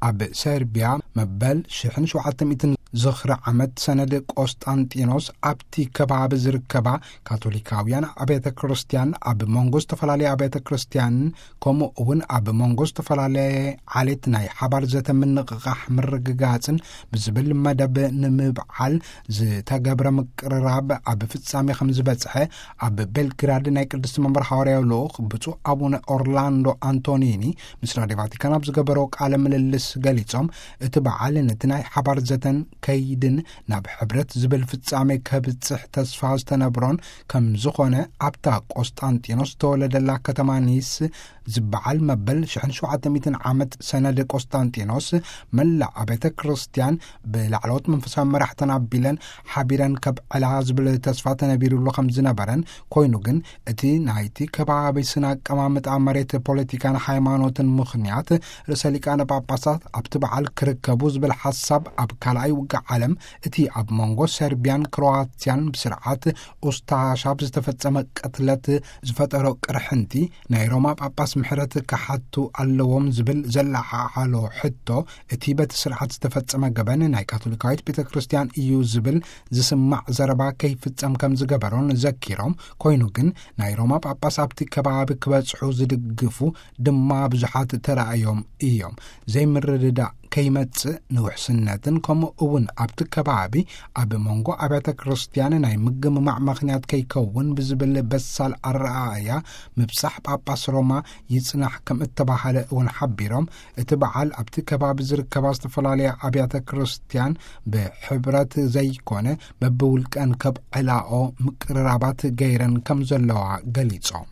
ኣብ ሰርቢያ መበል ሽሕን ሸውዓተ ሚእትን ዝኽሪ ዓመት ሰነድ ቆስጣንጢኖስ ኣብቲ ከባቢ ዝርከባ ካቶሊካውያን ኣብያተ ክርስቲያን፣ ኣብ መንጎ ዝተፈላለያ ኣብያተ ክርስቲያን፣ ከምኡ እውን ኣብ መንጎ ዝተፈላለየ ዓሌት ናይ ሓባር ዘተ ምንቕቓሕ ምርግጋጽን ብዝብል መደብ ንምብዓል ዝተገብረ ምቅርራብ ኣብ ፍጻሜ ከም ዝበጽሐ ኣብ ቤልግራድ ናይ ቅድስቲ መንበር ሓዋርያዊ ልኡኽ ብፁዕ ኣቡነ ኦርላንዶ ኣንቶኒኒ ምስ ራድዮ ቫቲካን ኣብ ዝገበሮ ቃለ ምልልስ ገሊጾም፣ እቲ በዓል ነቲ ናይ ሓባር ዘተን ከይድን ናብ ሕብረት ዝብል ፍጻሜ ከብጽሕ ተስፋ ዝተነብሮን ከም ዝኾነ፣ ኣብታ ቆስጣንጢኖስ ዝተወለደላ ከተማ ኒስ ዝበዓል መበል ሽሕን ሸውዓተ ሚእትን ዓመት ሰነድ ቆስጣንጢኖስ መላእ ኣብያተ ክርስቲያን ብላዕለዎት መንፈሳዊ መራሕተን ኣቢለን ሓቢረን ከብዕላ ዝብል ተስፋ ተነቢሩሉ ከም ዝነበረን፣ ኮይኑ ግን እቲ ናይቲ ከባቢ ስነ ኣቀማምጣ መሬት፣ ፖለቲካን ሃይማኖትን ምኽንያት ርእሰ ሊቃነ ጳጳሳት ኣብቲ በዓል ክርከቡ ዝብል ሓሳብ ኣብ ካልኣይ ውግእ ዓለም እቲ ኣብ መንጎ ሰርቢያን ክሮዋትያን ብስርዓት ኡስታሻ ብዝተፈጸመ ቅትለት ዝፈጠሮ ቅርሕንቲ ናይ ሮማ ጳጳስ ምሕረት ክሓቱ ኣለዎም ዝብል ዘለዓዓሎ ሕቶ፣ እቲ በቲ ስርዓት ዝተፈጸመ ገበን ናይ ካቶሊካዊት ቤተ ክርስቲያን እዩ ዝብል ዝስማዕ ዘረባ ከይፍጸም ከም ዝገበሮን ዘኪሮም፣ ኮይኑ ግን ናይ ሮማ ጳጳስ ኣብቲ ከባቢ ክበጽሑ ዝድግፉ ድማ ብዙሓት ተራእዮም እዮም። ዘይምርድዳእ ከይመጽእ፣ ንውሕስነትን ከምኡ እውን ኣብቲ ከባቢ ኣብ መንጎ ኣብያተ ክርስቲያን ናይ ምግምማዕ ምኽንያት ከይከውን ብዝብል በሳል ኣረኣእያ ምብጻሕ ጳጳስ ሮማ ይጽናሕ ከም እተባህለ እውን ሓቢሮም፣ እቲ በዓል ኣብቲ ከባቢ ዝርከባ ዝተፈላለያ ኣብያተ ክርስቲያን ብሕብረት ዘይኮነ በብውልቀን ከብዕላኦ ምቅርራባት ገይረን ከም ዘለዋ ገሊጾም።